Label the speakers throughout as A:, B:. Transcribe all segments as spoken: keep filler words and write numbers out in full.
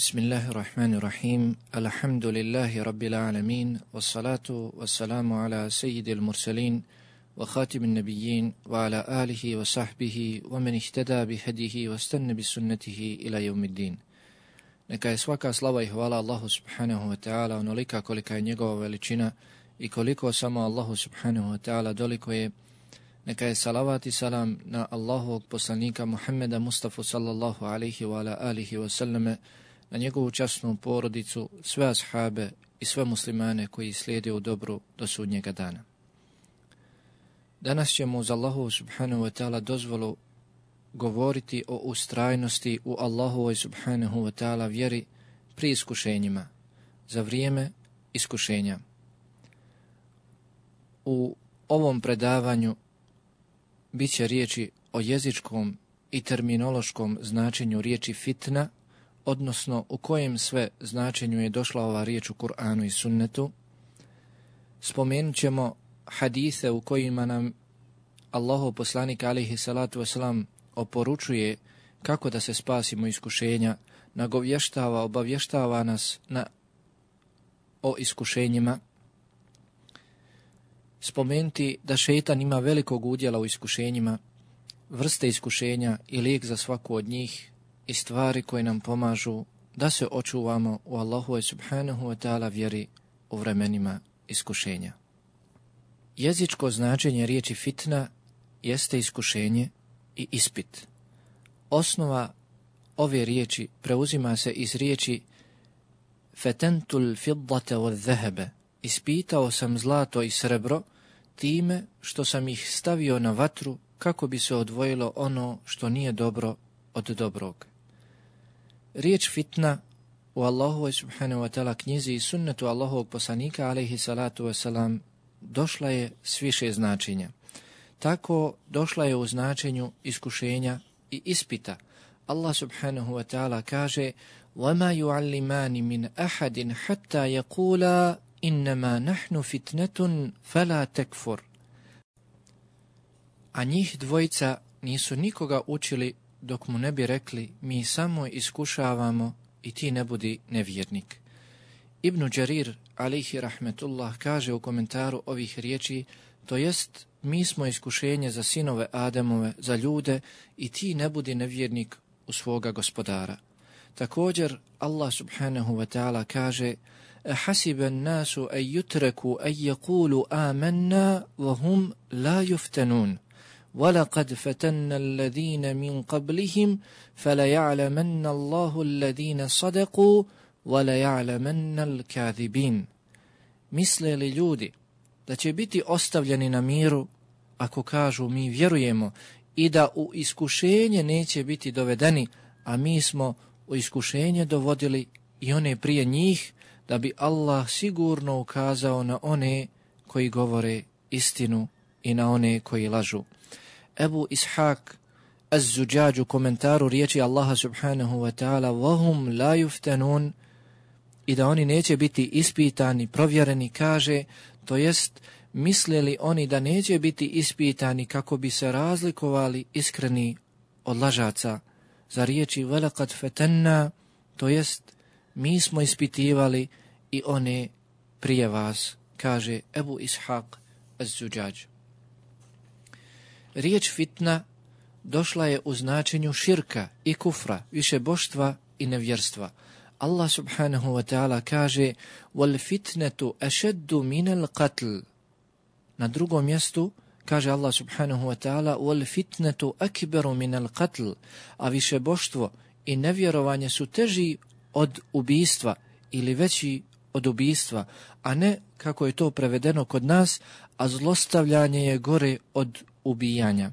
A: Bismillahirrahmanirrahim. Alhamdulillahi rabbil alamin. Wassalatu wassalamu ala sayyidil mursalin wa khatimin nabiyyin wa ala alihi wa sahbihi wa man ihtada bihadihi wa istanna bisunnatihi ila yawmiddin. Neka je svaka slava i hvala Allahu subhanahu wa ta'ala onolika kolika je njegova veličina i koliko samo Allahu subhanahu wa ta'ala doliko je. Neka je salavat i salam na Allahovog poslanika Muhammeda Mustafa sallallahu alaihi wa ala alihi wa sallame, na njegovu časnu porodicu, sve ashabe i sve muslimane koji slijede u dobru do sudnjega dana. Danas ćemo uz Allahu subhanahu wa ta'ala dozvolu govoriti o ustrajnosti u Allahovoj subhanahu wa ta'ala vjeri pri iskušenjima, za vrijeme iskušenja. U ovom predavanju bit će riječi o jezičkom i terminološkom značenju riječi fitna, odnosno u kojem sve značenju je došla ova riječ u Kur'anu i sunnetu. Spomenut ćemo hadise u kojima nam Allahov poslanik alejhi salatu vesselam oporučuje kako da se spasimo iskušenja, nagovještava, obavještava nas na, o iskušenjima. Spomenuti da šejtan ima velikog udjela u iskušenjima, vrste iskušenja i lijek za svaku od njih i stvari koje nam pomažu da se očuvamo u Allahu subhanahu wa ta'ala vjeri u vremenima iskušenja. Jezičko značenje riječi fitna jeste iskušenje i ispit. Osnova ove riječi preuzima se iz riječi fetentul fiddate od zehebe. Ispitao sam zlato i srebro time što sam ih stavio na vatru kako bi se odvojilo ono što nije dobro od dobrog. Riječ fitna u Allahovoj subhanahu wa ta'ala knjizi i sunnetu Allahovog poslanika alejhi salatu wasalam došla je s više značenja. Tako došla je u značenju iskušenja i ispita. Allah subhanahu wa ta'ala kaže وَمَا يُعَلِّمَانِ مِنْ أَحَدٍ حَتَّى يَقُولَا إِنَّمَا نَحْنُ فِتْنَةٌ فَلَا تَكْفُرْ. A njih dvojica nisu nikoga učili dok mu ne bi rekli mi samo iskušavamo i ti ne budi nevjernik. Ibn Đarir alejhi rahmetullah kaže u komentaru ovih riječi, to jest mi smo iskušenje za sinove Ademove, za ljude i ti ne budi nevjernik u svoga gospodara. Također Allah subhanahu wa ta'ala kaže أَحَسِبَ النَّاسُ أَن يُتْرَكُوا أَن يَقُولُوا آمَنَّا وَهُمْ لَا يُفْتَنُونَ وَلَقَدْ فَتَنَّا الَّذِينَ مِنْ قَبْلِهِمْ فَلَيَعْلَمَنَّ اللَّهُ الَّذِينَ صَدَقُوا وَلَيَعْلَمَنَّ الْكَاذِبِينَ. Misle li ljudi da će biti ostavljeni na miru ako kažu mi vjerujemo i da u iskušenje neće biti dovedeni, a mi smo u iskušenje dovodili i one prije njih, da bi Allah sigurno ukazao na one koji govore istinu i na one koji lažu. Ebu Ishaq Az-Zuđađ u komentaru riječi Allaha subhanahu wa ta'ala وَهُمْ لَا يُفْتَنُونَ i da oni neće biti ispitani, provjereni, kaže, to jest mislili oni da neće biti ispitani kako bi se razlikovali iskreni od lažaca. Za riječi وَلَقَدْ فَتَنَّا, to jest mi smo ispitivali i one prije vas, kaže Ebu Ishaq Az-Zuđađ. Riječ fitna došla je u značenju širka i kufra, višeboštva i nevjerstva. Allah subhanahu wa ta'ala kaže وَالْفِتْنَةُ أَشَدُّ مِنَ الْقَتْلِ. Na drugom mjestu kaže Allah subhanahu wa ta'ala وَالْفِتْنَةُ أَكْبَرُ مِنَ الْقَتْلِ. A višeboštvo i nevjerovanje su teži od ubijstva ili veći od ubijstva, a ne kako je to prevedeno kod nas, a zlostavljanje je gore od ubijanja.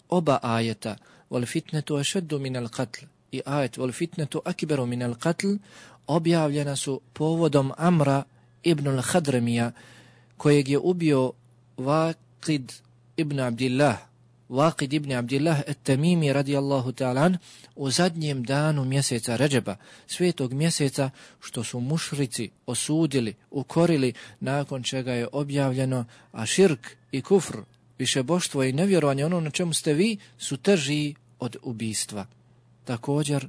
A: Oba ajeta, wal fitnetu ašeddu minal qatl i ajet wal fitnetu akberu minal qatl, objavljena su povodom Amra ibn al-Hadramija, kojeg je ubio Waqid ibn Abdillah, Waqid ibn Abdillah at-Tamimi radijallahu ta'ala u zadnjem danu mjeseca Redžeba, svetog mjeseca, što su mušrici osudili, ukorili, nakon čega je objavljeno, a širk i kufr, višeboštvo i nevjerovanje, ono na čemu ste vi, su teži od ubijstva. Također,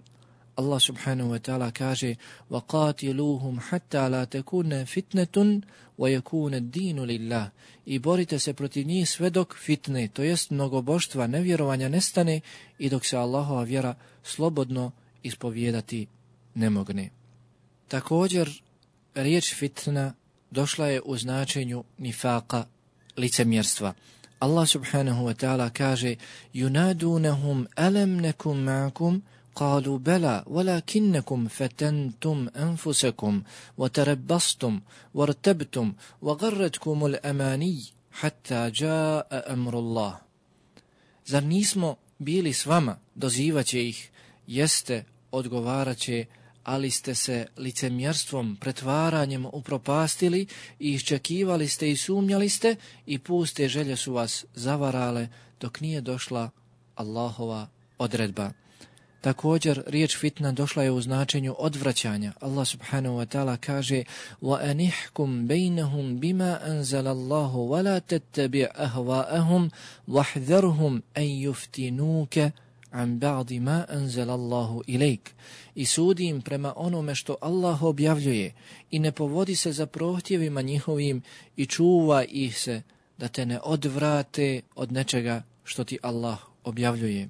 A: Allah subhanahu wa ta'ala kaže وَقَاتِلُوهُمْ حَتَّى لَا تَكُونَ فِتْنَةٌ وَيَكُونَ الدِّينُ لِلَّهِ I borite se protiv njih sve dok fitne, to jest mnogoboštva, nevjerovanja nestane i dok se Allahova vjera slobodno ispovijedati ne mogne. Također, riječ fitna došla je u značenju nifaqa, licemjerstva. Allah subhanahu wa ta'ala kaže يُنَادُونَهُمْ أَلَمْ نَكُمْ مَعَكُمْ قالوا بلى ولكنكم فتنتم أنفسكم وتربصتم وارتبتم وغرتكم الأماني حتى جاء أمر الله. Zar nismo bili s vama, dozivaće ih, jeste, odgovaraće, ali ste se licemjerstvom, pretvaranjem upropastili i iščekivali ste i sumnjali ste i puste želje su vas zavarale dok nije došla Allahova odredba. Također, riječ fitna došla je u značenju odvraćanja. Allah subhanahu wa ta'ala kaže وَأَنِحْكُمْ بَيْنَهُمْ بِمَا أَنزَلَ اللَّهُ وَلَا تَتَّبِعْ أَهْوَاءَهُمْ وَاحْذَرْهُمْ أَنْ يُفْتِنُوكَ عَنْ بَعْضِ مَا أَنزَلَ اللَّهُ إِلَيْكَ I sudi im prema onome što Allah objavljuje i ne povodi se za prohtjevima njihovim i čuva ih se da te ne odvrate od nečega što ti Allah objavljuje.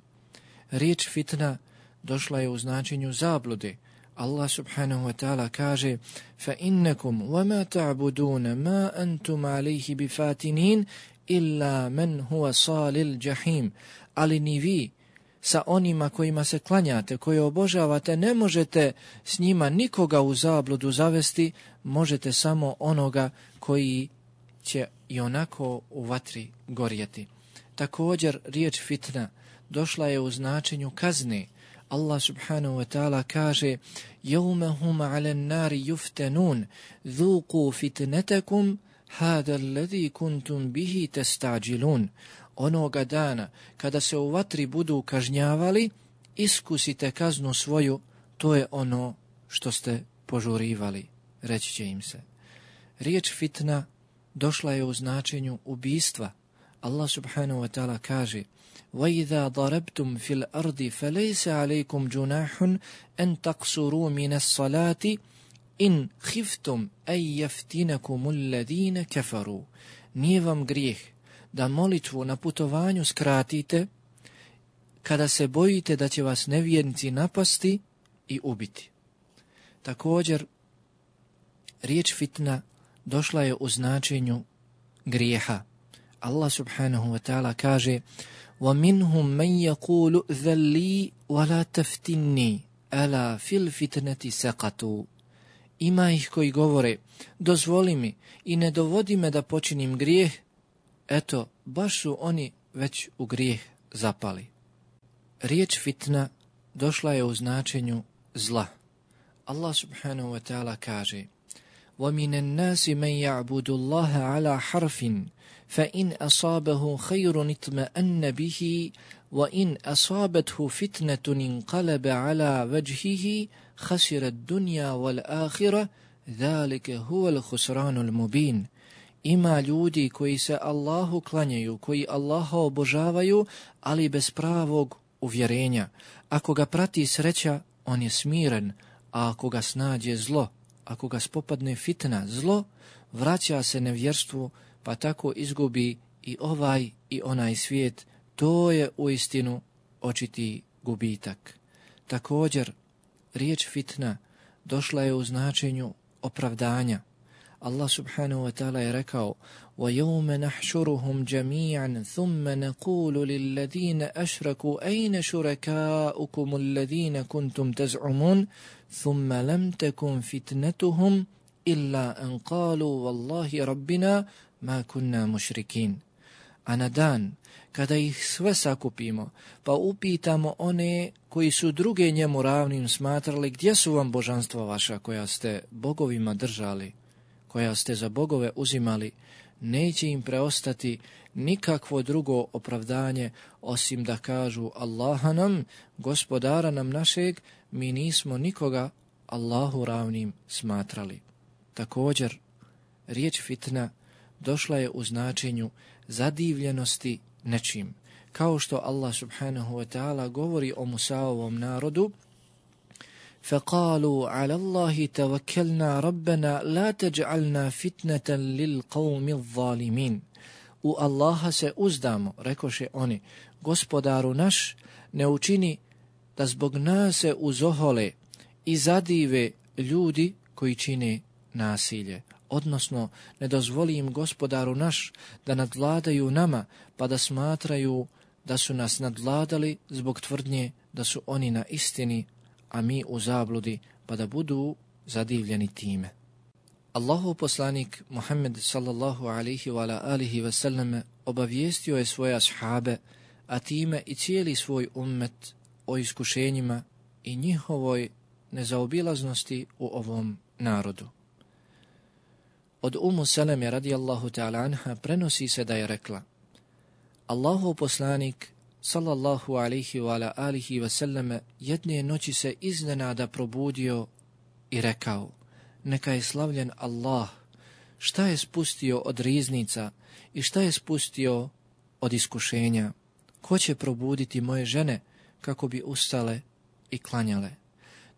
A: Riječ fitna došla je u značenju zablude. Allah subhanahu wa ta'ala kaže فَإِنَّكُمْ وَمَا تَعْبُدُونَ مَا أَنْتُمْ عَلَيْهِ بِفَاتِنِينَ إِلَّا مَنْ هُوَ صَالِ الْجَحِيمِ Ali ni vi sa onima kojima se klanjate, koje obožavate, ne možete s njima nikoga u zabludu zavesti, možete samo onoga koji će i onako u vatri gorjeti. Također, riječ fitna došla je u značenju kazne. Allah subhanahu wa ta'ala kaže يَوْمَ هُمَ عَلَى النَّارِ يُفْتَنُونَ ذُوقُوا فِتْنَتَكُمْ هَذَا الَّذِي كُنْتُمْ بِهِ تَسْتَعْجِلُونَ Onoga dana, kada se u vatri budu kažnjavali, iskusite kaznu svoju, to je ono što ste požurivali, reći će im se. Riječ fitna došla je u značenju ubistva. Allah subhanahu wa ta'ala kaže وَإِذَا ضَرَبْتُمْ فِي الْأَرْضِ فَلَيْسَ عَلَيْكُمْ جُنَاحٌ أَنْ تَقْصُرُوا مِنَ الصَّلَاةِ إِنْ خِفْتُمْ أَنْ يَفْتِنَكُمُ الَّذِينَ كَفَرُوا Nije vam grijeh da molitvu na putovanju skratite kada se bojite da će vas nevjernici napasti i ubiti. Također, riječ fitna došla je u značenju grijeha. Allah subhanahu wa ta'ala kaže وَمِنْهُمْ مَنْ يَقُولُ ذَلِّي وَلَا تَفْتِنِّي أَلَا فِي الْفِتْنَةِ سَقَطُوا Ima ih koji govore, dozvoli mi i ne dovodi me da počinim grijeh, eto, baš su oni već u grijeh zapali. Riječ fitna došla je u značenju zla. Allah subhanahu wa ta'ala kaže وَمِنَ النَّاسِ مَنْ يَعْبُدُ اللَّهَ عَلَى حَرْفٍ فَإِنْ أَصَابَهُ خَيْرٌ اطْمَأَنَّ بِهِ وَإِنْ أَصَابَتْهُ فِتْنَةٌ انقلب على وجهه خسر الدنيا والآخرة ذلك هو الخسران المبين Ima ljudi koji se Allahu klanjaju, koji Allaha obožavaju, ali bez pravog uvjerenja. Ako ga prati sreća, on je smiren, a ako ga snađe zlo, ako ga spopadne fitna, zlo, vraća se nevjerstvu, pa tako izgubi i ovaj i onaj svijet. To je uistinu očiti gubitak. Također, riječ fitna došla je u značenju opravdanja. Allah subhanahu wa ta'ala je rekao وَيَوْمَ نَحْشُرُهُمْ جَمِيعًا ثُمَّ نَقُولُ لِلَّذِينَ أَشْرَكُوا أَيْنَ شُرَكَاؤُكُمُ الَّذِينَ كُنْتُمْ تَزْعُمُونَ ثُمَّ لَمْ تَكُنْ فِتْنَتُهُمْ إِلَّا أَنْ قَالُوا وَاللَّهِ رَبِّنَا مَا كُنَّا مُشْرِكِينَ A na dan, kada ih sve sakupimo, pa upitamo one koji su druge njemu ravnim smatrali, gdje su vam božanstva vaša koja ste bogovima držali, koja ste za bogove uzimali, neće im preostati nikakvo drugo opravdanje osim da kažu Allaha nam, gospodara nam našeg, mi nismo nikoga Allahu ravnim smatrali. Također, riječ fitna došla je u značenju zadivljenosti nečim. Kao što Allah subhanahu wa ta'ala govori o Musaovom narodu فَقَالُوا عَلَى اللَّهِ تَوَكَّلْنَا رَبَّنَا لَا تَجْعَلْنَا فِتْنَةً لِلْقَوْمِ الظَّالِمِينَ. U Allaha se uzdamo, rekoše oni, Gospodaru naš, ne učini da zbog nas se uzohole i zadive ljudi koji čine nasilje. Odnosno, ne dozvoli im Gospodaru naš da nadvladaju nama, pa da smatraju da su nas nadvladali zbog tvrdnje da su oni na istini, a mi u zabludi, pa da budu zadivljeni time. Allahov poslanik Muhammed sallallahu alaihi wa ala alihi wa sallam obavijestio je svoje ashabe, a time i cijeli svoj ummet o iskušenjima i njihovoj nezaobilaznosti u ovom narodu. Od Umu Seleme radijallahu ta'ala anha prenosi se da je rekla: Allahov poslanik sallallahu alaihi wa ala alihi wa sallam jedne noći se iznenada probudio i rekao: neka je slavljen Allah, šta je spustio od riznica i šta je spustio od iskušenja? Ko će probuditi moje žene kako bi ustale i klanjale?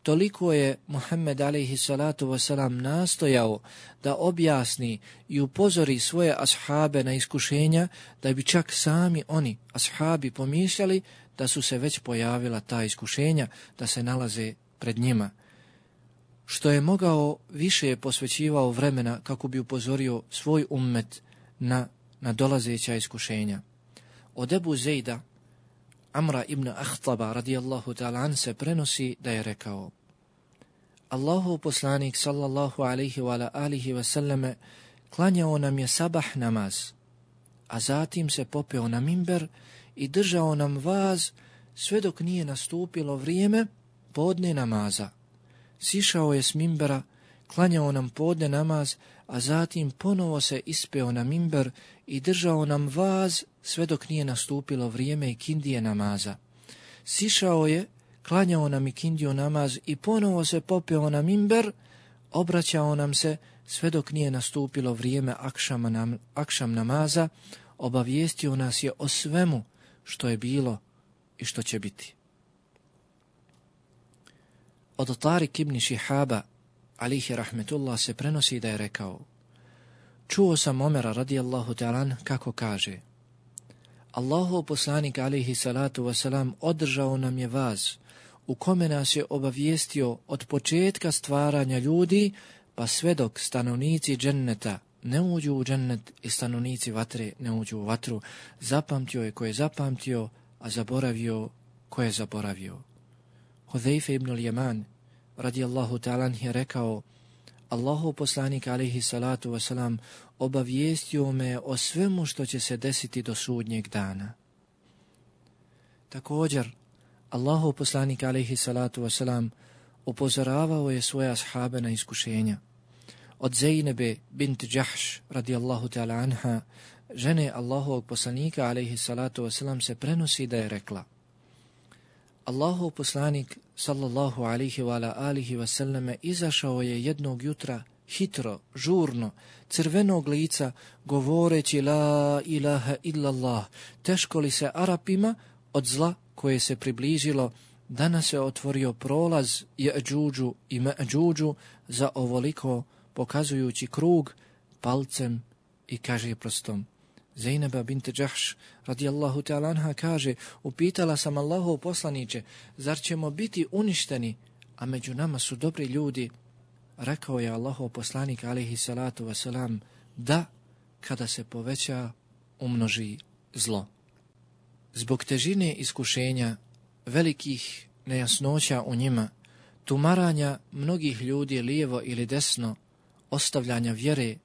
A: Toliko je Muhammed alejhi salatu wasalam nastojao da objasni i upozori svoje ashabe na iskušenja, da bi čak sami oni, ashabi, pomišljali da su se već pojavila ta iskušenja, da se nalaze pred njima. Što je mogao, više je posvećivao vremena kako bi upozorio svoj ummet na, na dolazeća iskušenja. Od Ebu Zejda, Amra ibn Ahtaba radijallahu ta'ala an se prenosi da je rekao: Allahov poslanik sallallahu alaihi wa alihi wa sallame klanjao nam je sabah namaz, a zatim se popeo na mimber i držao nam vaz sve dok nije nastupilo vrijeme podne namaza. Sišao je s mimbera, klanjao nam podne namaz, a zatim ponovo se ispeo na mimber i držao nam vaz sve dok nije nastupilo vrijeme ikindije namaza. Sišao je, klanjao nam ikindiju namaz i ponovo se popeo na mimber, obraćao nam se sve dok nije nastupilo vrijeme akšama nam, akšam namaza, obavijestio nas je o svemu što je bilo i što će biti. Od Tarik ibn Šihaba, alihi rahmetullah, se prenosi da je rekao: čuo sam Omera radijallahu ta'ala kako kaže: Allahov poslanik alihi salatu wasalam održao nam je vaz u kome nas je obavijestio od početka stvaranja ljudi pa sve dok stanovnici dženneta ne uđu u džennet i stanovnici vatre ne uđu u vatru. Zapamtio je ko je zapamtio, a zaboravio ko je zaboravio. Hudejfe ibn al-Yaman radijallahu ta'ala je rekao: Allahov poslanik alejhi salatu wasalam obavijestio me o svemu što će se desiti do sudnjeg dana. Također, Allahov poslanik alejhi salatu wasalam upozoravao je svoje ashabe na iskušenja. Od Zejnebe bint Džahš radijallahu ta'ala anha, žene Allahovog poslanika alejhi salatu wasalam, se prenosi da je rekla: Allahov poslanik sallallahu alaihi wa ala alihi wasallame izašao je jednog jutra hitro, žurno, crvenog lica, govoreći la ilaha illallah, teško li se Arapima od zla koje se približilo, danas se otvorio prolaz Je'đuđu i Me'đuđu za ovoliko, pokazujući krug palcem i kaže prstom. Zejneba bint Džahš radijallahu ta'ala anha kaže: upitala sam Allahov poslaniće, zar ćemo biti uništeni, a među nama su dobri ljudi? Rekao je Allahov poslanik alejhi salatu wasalam: da, kada se poveća, umnoži zlo. Zbog težine iskušenja, velikih nejasnoća u njima, tumaranja mnogih ljudi lijevo ili desno, ostavljanja vjere,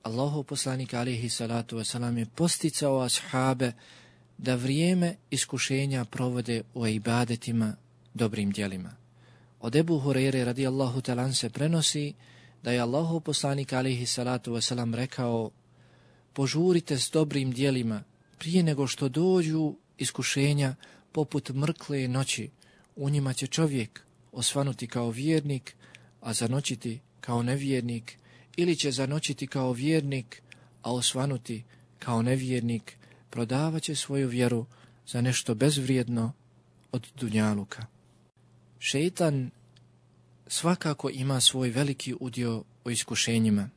A: Allahov poslanik alejhi salatu wasalam je posticao ashabe da vrijeme iskušenja provode u ibadetima, dobrim djelima. Od Ebu Hurajre radijallahu ta'ala se prenosi da je Allahov poslanik alejhi salatu wasalam rekao: požurite s dobrim djelima prije nego što dođu iskušenja poput mrkle noći. U njima će čovjek osvanuti kao vjernik, a zanoćiti kao nevjernik, ili će zanoćiti kao vjernik, a osvanuti kao nevjernik, prodavat će svoju vjeru za nešto bezvrijedno od dunjaluka. Šeitan svakako ima svoj veliki udio u iskušenjima.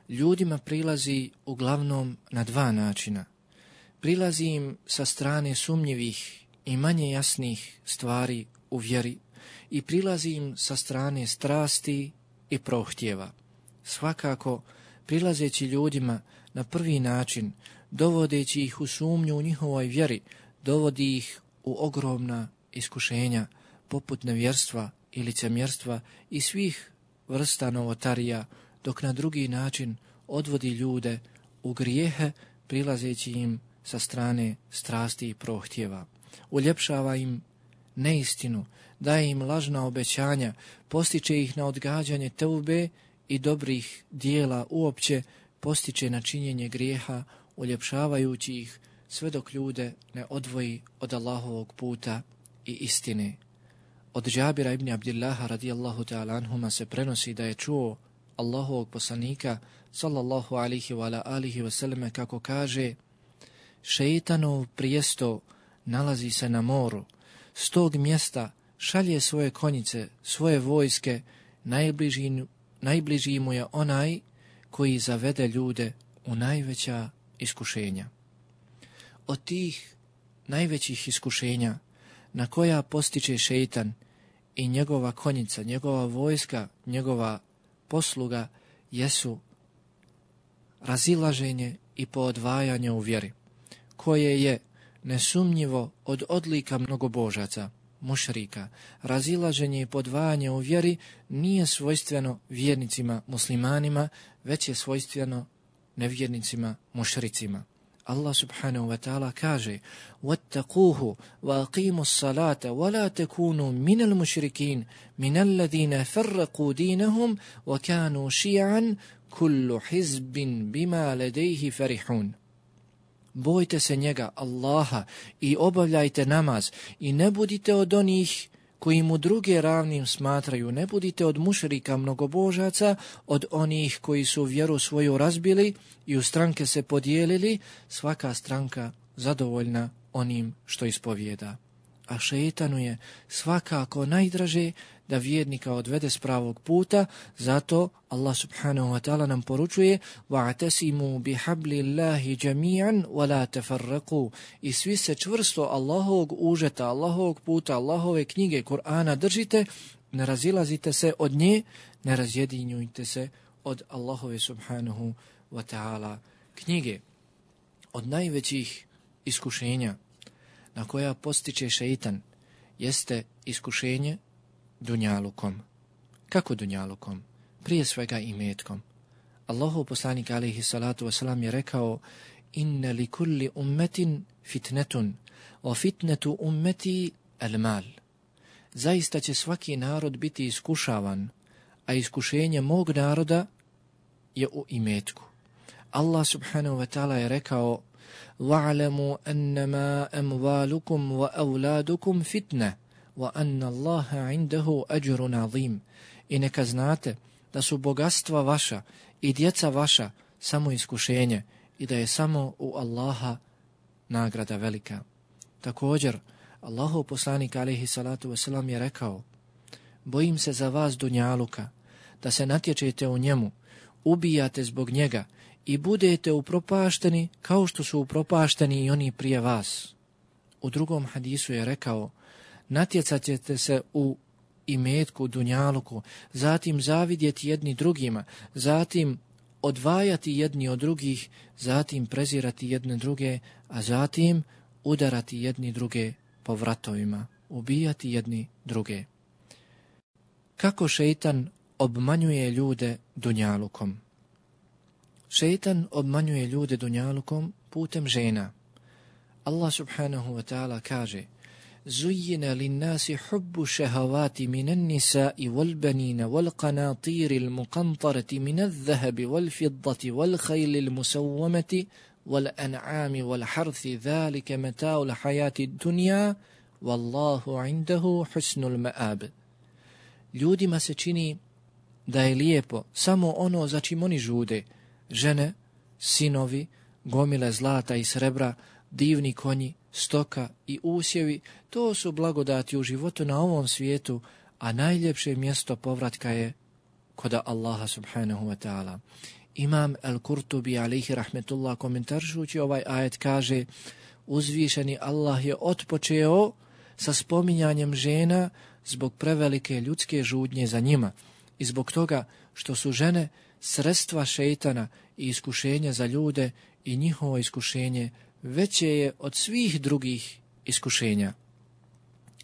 A: Ljudima prilazi uglavnom na dva načina. Prilazi im sa strane sumnjivih i manje jasnih stvari u vjeri i prilazi im sa strane strasti i prohtjeva. Svakako, prilazeći ljudima na prvi način, dovodeći ih u sumnju u njihovoj vjeri, dovodi ih u ogromna iskušenja, poput nevjerstva i licemjerstva i svih vrsta novotarija, dok na drugi način odvodi ljude u grijehe, prilazeći im sa strane strasti i prohtjeva. Uljepšava im neistinu, daje im lažna obećanja, postiče ih na odgađanje teube i dobrih dijela uopće, postiče na činjenje grijeha, uljepšavajući ih sve dok ljude ne odvoji od Allahovog puta i istine. Od Džabira ibn Abdillaha radijallahu ta'ala anhuma se prenosi da je čuo Allahovog poslanika sallallahu alihi wa alihi wasallam kako kaže: šeitanov prijesto nalazi se na moru, s tog mjesta šalje svoje konjice, svoje vojske, najbliži, najbliži mu je onaj koji zavede ljude u najveća iskušenja. Od tih najvećih iskušenja na koja postiče šeitan i njegova konjica, njegova vojska, njegova posluga jesu razilaženje i poodvajanje u vjeri, koje je nesumnjivo od odlika mnogobožaca, mušrika. Razilaženje i podvajanje u vjeri nije svojstveno vjernicima muslimanima, već je svojstveno nevjernicima mušricima. Allah subhanahu wa ta'ala kaže: وَاتَّقُوهُ وَأَقِيمُوا الصَّلَاةَ وَلَا تَكُونُوا مِنَ الْمُشْرِكِينَ مِنَ الَّذِينَ فَرَّقُوا دِينَهُمْ وَكَانُوا شِيَعًا كُلُّ حِزْبٍ بِمَا لَدَيْهِ فَرِحُونَ. Bojte se njega, Allaha, i obavljajte namaz i ne budite od onih koji mu druge ravnim smatraju, ne budite od mušrika mnogobožaca, od onih koji su vjeru svoju razbili i u stranke se podijelili, svaka stranka zadovoljna onim što ispovijeda. A šeitanu je svakako najdraže da vjernika odvede s pravog puta, zato Allah subhanahu wa ta'ala nam poručuje: وَاعْتَسِمُوا بِحَبْلِ اللَّهِ جَمِيعًا وَلَا تَفَرَّقُوا. I svi se čvrsto Allahovog užeta, Allahovog puta, Allahove knjige, Kur'ana držite, ne razilazite se od nje, ne razjedinjujte se od Allahove subhanahu wa ta'ala knjige. Od najvećih iskušenja na koja postiče šeitan jeste iskušenje dunjalukom. Kako dunjalukom? Prije svega imetkom. Allahov poslanik alejhi salatu vesselam je rekao: inna li kulli ummetin fitnetun, wa fitnetu ummeti al mal. Zaista će svaki narod biti iskušavan, a iskušenje mog naroda je u imetku. Allah subhanahu wa ta'ala je rekao: وَعْلَمُوا أَنَّمَا أَمْوَالُكُمْ وَأَوْلَادُكُمْ فِتْنَةٌ وَأَنَّ اللَّهَ عِنْدَهُ أَجْرٌ عَظِيمٌ. I neka znate da su bogatstva vaša i djeca vaša samo iskušenje i da je samo u Allaha nagrada velika. Također, Allahov poslanik alejhi salatu vesselam je rekao: bojim se za vas dunjaluka, da se natječete u njemu, ubijate zbog njega i budete upropašteni kao što su upropašteni i oni prije vas. U drugom hadisu je rekao: natjecat ćete se u imetku, dunjaluku, zatim zavidjeti jedni drugima, zatim odvajati jedni od drugih, zatim prezirati jedne druge, a zatim udarati jedni druge po vratovima, ubijati jedni druge. Kako šeitan obmanjuje ljude dunjalukom? Šeitan obmanjuje ljude dunjalukom putem žena. Allah subhanahu wa ta'ala kaže: زُيِّنَ لِلنَّاسِ حُبُّ الشَّهَوَاتِ مِنَ النِّسَاءِ وَالْبَنِينَ وَالْقَنَاطِيرِ الْمُقَنطَرَةِ مِنَ الذَّهَبِ وَالْفِضَّةِ وَالْخَيْلِ الْمُسَوَّمَةِ وَالْأَنْعَامِ وَالْحَرْثِ ذَلِكَ مَتَاعُ الْحَيَاةِ الدُّنْيَا وَاللَّهُ عِنْدَهُ حُسْنُ الْمَآبِ. Ljudima se čini da je lijepo samo ono za čim oni žude: žene, sinovi, gomile zlata i srebra, divni konji, stoka i usjevi. To su blagodati u životu na ovom svijetu, a najljepše mjesto povratka je kod Allaha subhanahu wa ta'ala. Imam Al-Kurtubi alejhi rahmetullah komentaršući ovaj ajet kaže: uzvišeni Allah je otpočeo sa spominjanjem žena zbog prevelike ljudske žudnje za njima i zbog toga što su žene sredstva šejtana i iskušenja za ljude i njihovo iskušenje veće je od svih drugih iskušenja.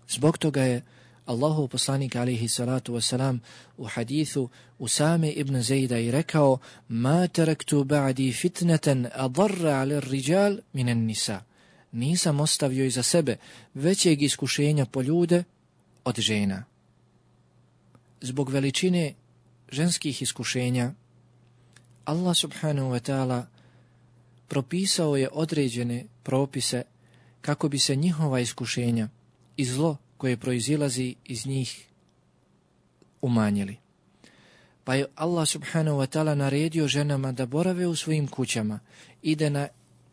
A: Zbog toga je Allahov poslanik alejhi salatu wasalam u hadithu Usame ibn Zejda i rekao: ma taraktu ba'di fitnatan adarra 'ala ar-rijal min an-nisa. Nisam ostavio iza sebe većeg iskušenja po ljude od žena. Zbog veličine ženskih iskušenja Allah subhanahu wa ta'ala propisao je određene propise kako bi se njihova iskušenja i zlo koje proizilazi iz njih umanjili. Pa je Allah subhanahu wa ta'ala naredio ženama da borave u svojim kućama i da na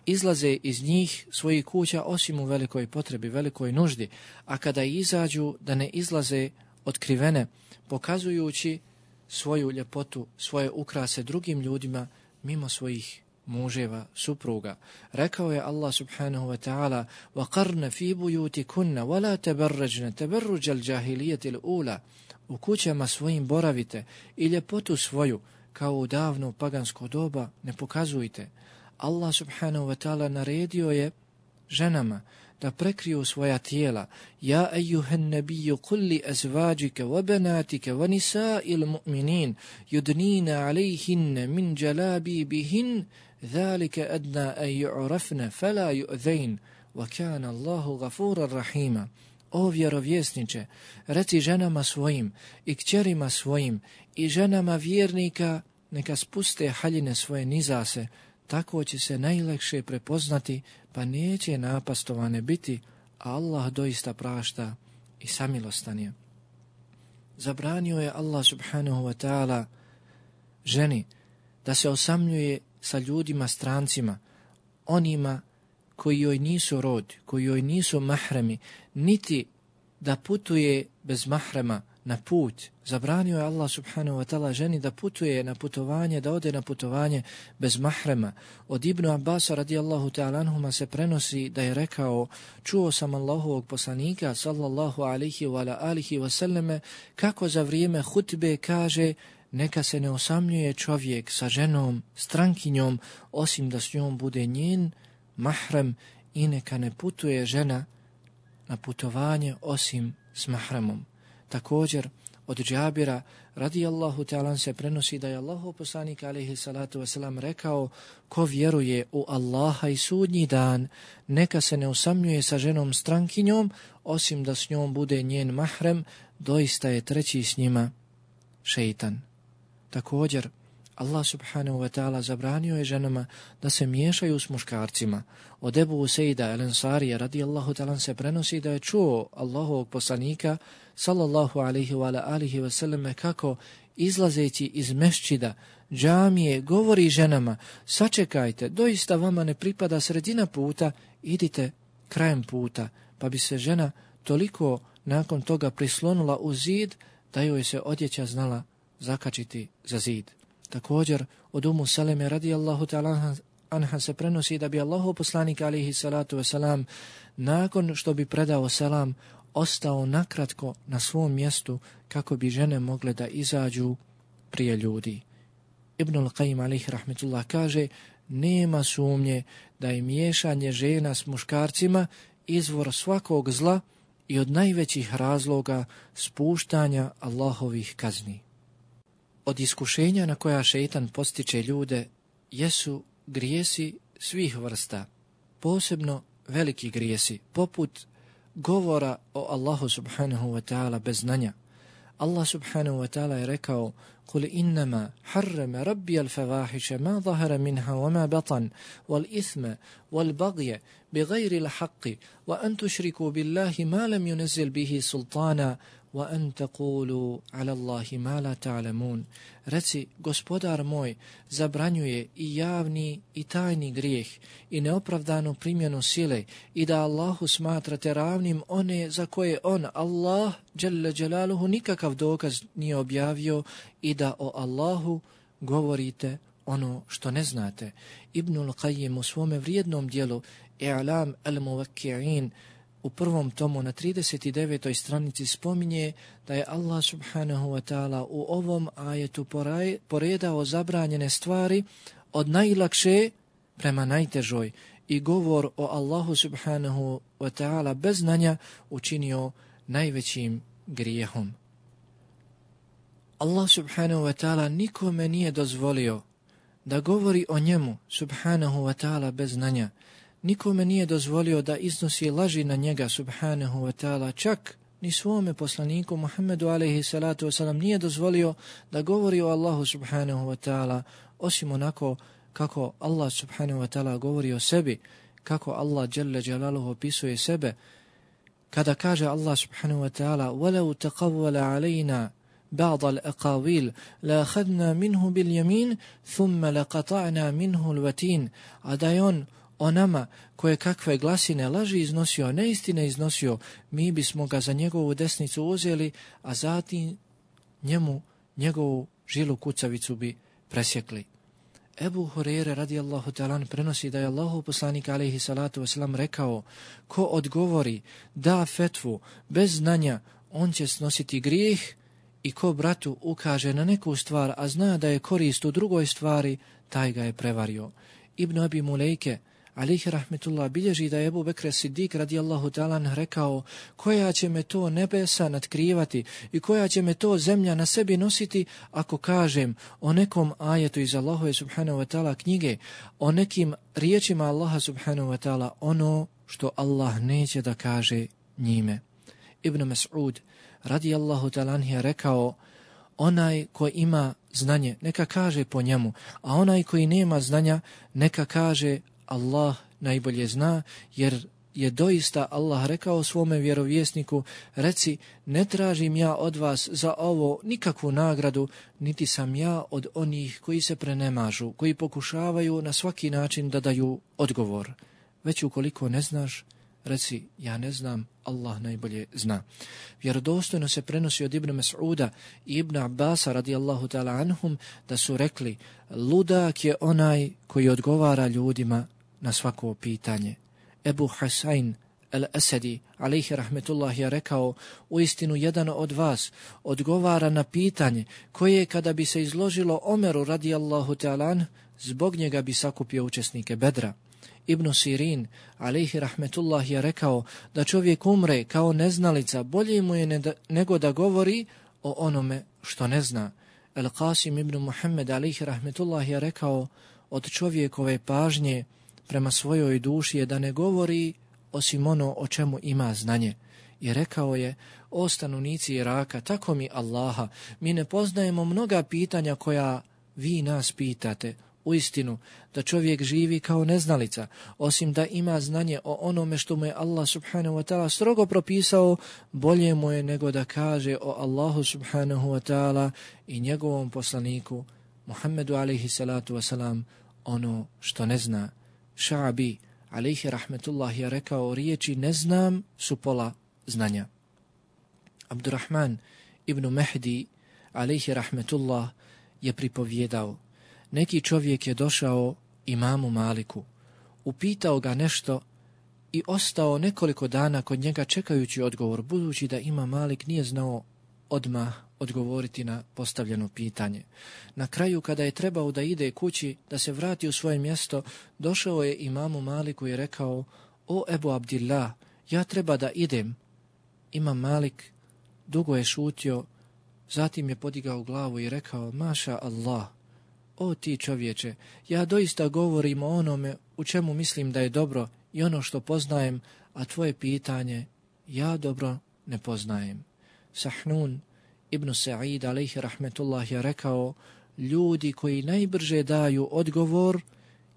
A: izlaze iz njih svojih kuća osim u velikoj potrebi, velikoj nuždi, a kada izađu da ne izlaze otkrivene, pokazujući svoju ljepotu, svoje ukrase drugim ljudima mimo svojih muževa, supruga. Rekao je Allah subhanahu wa ta'ala: وَقَرْنَ فِي بُيُوتِكُنَّ وَلَا تَبَرَّجْنَ تَبَرُّجَ الْجَاهِلِيَةِ الْأُولَى. U kućama svojim boravite i ljepotu svoju kao u davno pagansko doba ne pokazujte. Allah subhanahu wa ta'ala naredio je ženama da prekriju svoja tijela. Ja ejuhen nebiju kulli azvađike wa banatike wa nisa'il mu'minin yudnina alejhinne min džalabi bihin zalike adna an ju'rafne fela ju'zejn wa kana Allahu gafuran rahima. O vjerovjesniče, reci ženama svojim i kćerima svojim i ženama vjernika neka spuste haljine svoje nizase, tako će se najlakše prepoznati, pa neće napastovane biti, a Allah doista prašta i samilostan je. Zabranio je Allah subhanahu wa ta'ala ženi da se osamljuje sa ljudima strancima, onima koji joj nisu rod, koji joj nisu mahremi, niti da putuje bez mahrema na put. Zabranio je Allah subhanahu wa ta'ala ženi da putuje na putovanje, da ode na putovanje bez mahrema. Od Ibnu Abbasa radijallahu ta'ala anhuma se prenosi da je rekao: čuo sam Allahovog poslanika sallallahu alaihi wa alihi wa sallame kako za vrijeme hutbe kaže: neka se ne osamljuje čovjek sa ženom, strankinjom, osim da s njom bude njen mahrem, i neka ne putuje žena na putovanje osim s mahremom. Također, od Džabira radijallahu ta'ala se prenosi da je Allahov poslanik alejhi salatu vesselam rekao: ko vjeruje u Allaha i sudnji dan, neka se ne usamljuje sa ženom strankinjom, osim da s njom bude njen mahrem, doista je treći s njima šejtan. Također, Allah subhanahu wa ta'ala zabranio je ženama da se miješaju s muškarcima. Od Ebu Usejda el-Ensarija radijallahu ta'ala se prenosi da je čuo Allahovog poslanika sallallahu alaihi wa alihi wa sallam kako izlazeći iz mešćida, džamije, govori ženama: sačekajte, doista vama ne pripada sredina puta, idite krajem puta. Pa bi se žena toliko nakon toga prislonula u zid da joj se odjeća znala zakačiti za zid. Također, od Umu Saleme radijallahu ta'ala anha se prenosi da bi Allahov poslanik alejhi salatu wasalam nakon što bi predao selam ostao nakratko na svom mjestu kako bi žene mogle da izađu prije ljudi. Ibnul Qayyim alejhi rahmetullah kaže: nema sumnje da je miješanje žena s muškarcima izvor svakog zla i od najvećih razloga spuštanja Allahovih kazni. Od iskušenja na koja šejtan postiče ljude jesu grijesi svih vrsta, posebno veliki grijesi, poput govora o Allahu subhanahu wa ta'ala bez znanja. Allah subhanahu wa ta'ala je rekao: قُلْ إِنَّمَا حَرَّمَ رَبِّيَ الْفَوَاحِشَ مَا ظَهَرَ مِنْهَا وَمَا بَطَنَ وَالْإِثْمَ وَالْبَغْيَ بِغَيْرِ الْحَقِّ وَأَنْ تُشْرِكُوا بِاللَّهِ مَا لَمْ يُنَزِّلْ بِهِ سُلْطَانًا وَأَنْ تَقُولُوا عَلَى اللَّهِ مَا لَا تَعْلَمُونَ. Reci, gospodar moj zabranjuje i javni i tajni grijeh i neopravdanu primjenu sile i da Allahu smatrate ravnim one za koje on, Allah, dželle dželaluhu, nikakav dokaz nije objavio i da o Allahu govorite ono što ne znate. Ibnul Qayyim u svome vrijednom dijelu I'lam al-Muvakki'in u prvom tomu na trideset devetoj stranici spominje da je Allah subhanahu wa ta'ala u ovom ajetu poredao zabranjene stvari od najlakše prema najtežoj i govor o Allahu subhanahu wa ta'ala bez znanja učinio najvećim grijehom. Allah subhanahu wa ta'ala nikome nije dozvolio da govori o njemu subhanahu wa ta'ala bez znanja. Nikome nije dozvolio da iznosi laži na njega subhanahu wa ta'ala, čak ni svome poslaniku Muhammedu alejhi salatu wasalam nije dozvolio da govori o Allahu subhanahu wa ta'ala osim onako kako Allah subhanahu wa ta'ala govori o sebi, kako Allah dželle dželaluhu opisuje sebe. Kada kaže Allah subhanahu wa ta'ala وَلَوْ تَقَوَّلَ عَلَيْنَا بَعْضَ الْأَقَاوِيلِ لَأَخَذْنَا مِنْهُ بِالْيَمِينِ ثُمَّ لَقَطَعْنَا مِنْهُ الْوَتِينِ. A da je on o nama koje kakve glasine laži iznosio, neistine iznosio, mi bismo ga za njegovu desnicu uzeli, a zatim njemu njegovu žilu kucavicu bi presjekli. Ebu Hureyre radijallahu ta'ala prenosi da je Allahu poslanik alejhi salatu wasalam rekao: ko odgovori, da fetvu bez znanja, on će snositi grijeh, i ko bratu ukaže na neku stvar, a zna da je korist u drugoj stvari, taj ga je prevario. Ibn Abi Mulejke alejhi rahmetullah bilježi da je Ebu Bekr Siddik radijallahu ta'ala rekao: koja će me to nebesa natkrivati i koja će me to zemlja na sebi nositi ako kažem o nekom ajetu iz Allahove subhanahu wa ta'ala knjige, o nekim riječima Allaha subhanahu wa ta'ala, ono što Allah neće da kaže njime. Ibn Mas'ud radijallahu ta'ala je rekao: onaj ko ima znanje neka kaže po njemu, a onaj koji nema znanja neka kaže Allah najbolje zna, jer je doista Allah rekao svome vjerovjesniku: reci, ne tražim ja od vas za ovo nikakvu nagradu, niti sam ja od onih koji se prenemažu, koji pokušavaju na svaki način da daju odgovor. Već ukoliko ne znaš, reci, ja ne znam, Allah najbolje zna. Vjerodostojno se prenosi od Ibn Mas'uda i Ibn Abbasa radijallahu ta'ala anhum da su rekli: ludak je onaj koji odgovara ljudima na svako pitanje. Ebu Hasain al-Asadi alejhi rahmetullah je rekao: uistinu jedan od vas odgovara na pitanje koje kada bi se izložilo Omeru radijallahu ta'ala, zbog njega bi sakupio učesnike Bedra. Ibn Sirin alejhi rahmetullah je rekao da čovjek umre kao neznalica, bolje mu je ne da, nego da govori o onome što ne zna. El Qasim ibn Muhammed alejhi rahmetullah je rekao: od čovjekove pažnje prema svojoj duši je da ne govori osim ono o čemu ima znanje. I rekao je: o stanovnici Iraka, tako mi Allaha, mi ne poznajemo mnoga pitanja koja vi nas pitate. Uistinu, da čovjek živi kao neznalica, osim da ima znanje o onome što mu je Allah subhanahu wa ta'ala strogo propisao, bolje mu je nego da kaže o Allahu subhanahu wa ta'ala i njegovom poslaniku Muhammedu alejhi salatu wasalam ono što ne zna. Ša'bi alejhi rahmetullah je rekao: riječi ne znam su pola znanja. Abdurrahman ibn Mehdi alejhi rahmetullah je pripovjedao: neki čovjek je došao imamu Maliku, upitao ga nešto i ostao nekoliko dana kod njega čekajući odgovor, budući da imam Malik nije znao odmah odgovoriti na postavljeno pitanje. Na kraju, kada je trebao da ide kući, da se vrati u svoje mjesto, došao je imamu Maliku i rekao: o Ebu Abdillah, ja treba da idem. Imam Malik dugo je šutio, zatim je podigao glavu i rekao: maša Allah, o ti čovječe, ja doista govorim o onome u čemu mislim da je dobro i ono što poznajem, a tvoje pitanje ja dobro ne poznajem. Sahnun ibn Sa'id alejhi rahmetullah je rekao: ljudi koji najbrže daju odgovor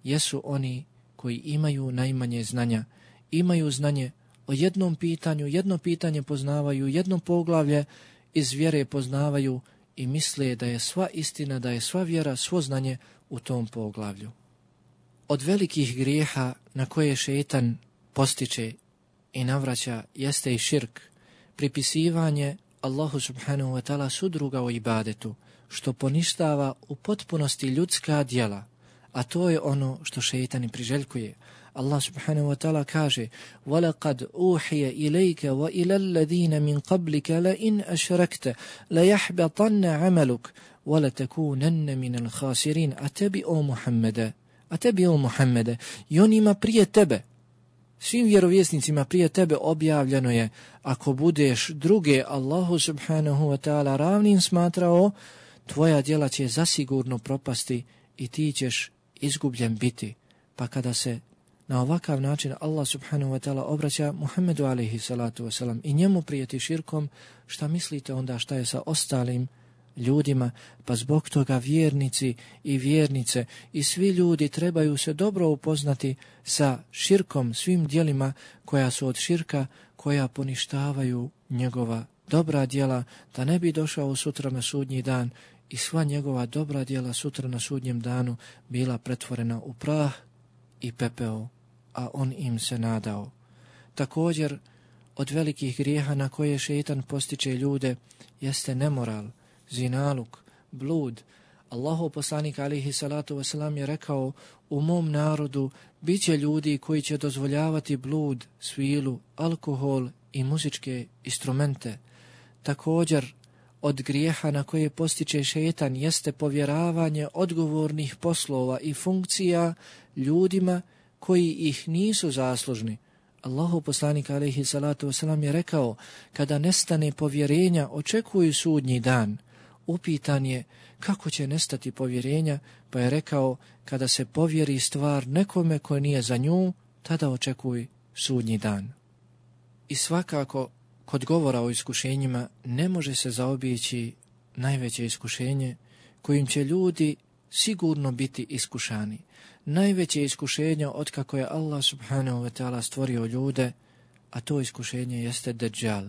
A: jesu oni koji imaju najmanje znanja. Imaju znanje, o jednom pitanju, jedno pitanje poznavaju, jedno poglavlje iz vjere poznavaju i misle da je sva istina, da je sva vjera, svo znanje u tom poglavlju. Od velikih grijeha na koje šejtan postiče i navraća jeste i širk, pripisivanje Allahu subhanahu wa ta'ala sudruga u ibadetu, što poništava u potpunosti ljudska djela, a to je ono što šejtan i priželjkuje. Allah subhanahu wa ta'ala kaže: وَلَقَدْ أُوحِيَ إِلَيْكَ وَإِلَى الَّذِينَ مِنْ قَبْلِكَ لَإِنْ أَشْرَكْتَ لَيَحْبَطَنَّ عَمَلُكَ وَلَتَكُونَنَّ مِنَ الْخَاسِرِينَ. A tebi, o Muhammede, a tebi, o Muhammede, i onima prije tebe, svim vjerovjesnicima prije tebe objavljeno je, ako budeš druge Allahu subhanahu wa ta'ala ravnim smatrao, tvoja djela će zasigurno propasti i ti ćeš izgubljen biti. Pa kada se na ovakav način Allah subhanahu wa ta'ala obraća Muhammedu alaihi salatu wasalam i njemu prijeti širkom, šta mislite onda šta je sa ostalim ljudima? Pa zbog toga vjernici i vjernice i svi ljudi trebaju se dobro upoznati sa širkom, svim djelima koja su od širka, koja poništavaju njegova dobra djela, da ne bi došao sutra na sudnji dan i sva njegova dobra djela sutra na sudnjem danu bila pretvorena u prah i pepeo, a on im se nadao. Također, od velikih grijeha na koje šejtan postiče ljude jeste nemoral, zinaluk, blud. Allahov poslanik alejhi salatu vesselam je rekao: u mom narodu biće ljudi koji će dozvoljavati blud, svilu, alkohol i muzičke instrumente. Također, od grijeha na koje postiče šejtan jeste povjeravanje odgovornih poslova i funkcija ljudima koji ih nisu zaslužni. Allahov poslanik alejhi salatu vesselam je rekao: kada nestane povjerenja, očekuju sudnji dan. Upitan je kako će nestati povjerenja, pa je rekao: kada se povjeri stvar nekome koji nije za nju, tada očekuj sudnji dan. I svakako, kod govora o iskušenjima ne može se zaobići najveće iskušenje kojim će ljudi sigurno biti iskušani. Najveće iskušenje otkako je Allah subhanahu wa ta'ala stvorio ljude, a to iskušenje jeste Dejjal.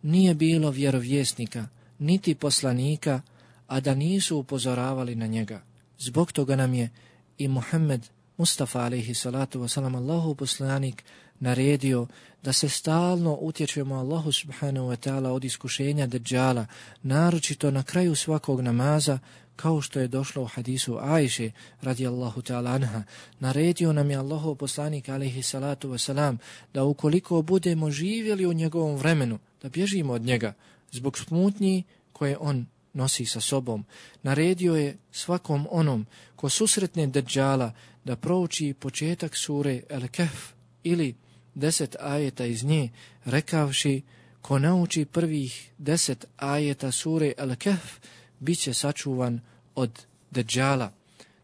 A: Nije bilo vjerovjesnika, niti poslanika, a da nisu upozoravali na njega. Zbog toga nam je i Muhammed Mustafa alejhi salatu wasalam, Allahov poslanik, naredio da se stalno utječemo Allahu subhanahu wa ta'ala od iskušenja Dejjala, naročito na kraju svakog namaza, kao što je došlo u hadisu Ajše radijallahu ta'ala anha. Naredio nam je Allahov poslanik alejhi salatu wasalam da ukoliko budemo živjeli u njegovom vremenu, da bježimo od njega zbog smutnji koje on nosi sa sobom. Naredio je svakom onom ko susretne Dejjala da prouči početak sure El-Kehf ili deset ajeta iz nje, rekavši: ko nauči prvih deset ajeta sure El-Kehf, bit će sačuvan od Dejjala.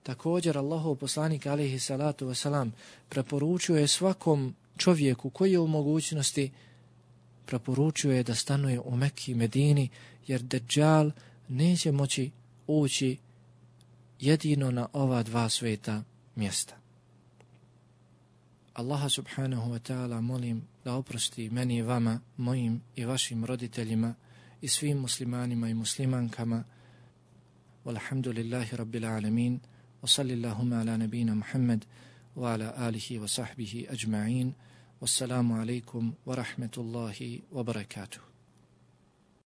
A: Također Allahov poslanik alejhi salatu wasalam preporučio je svakom čovjeku koji je u mogućnosti, preporučio je da stanuje u Mekki i Medini, jer Dejjal neće moći ući jedino na ova dva sveta mjesta. Allaha subhanahu wa ta'ala molim da oprosti meni i vama, mojim i vašim roditeljima i svim muslimanima i muslimankama. Walhamdulillahi rabbil alamin. Wa sallillahuma ala nabina Muhammad wa ala alihi wa sahbihi ajma'in. Wassalamu alaikum wa rahmetullahi wa barakatuh.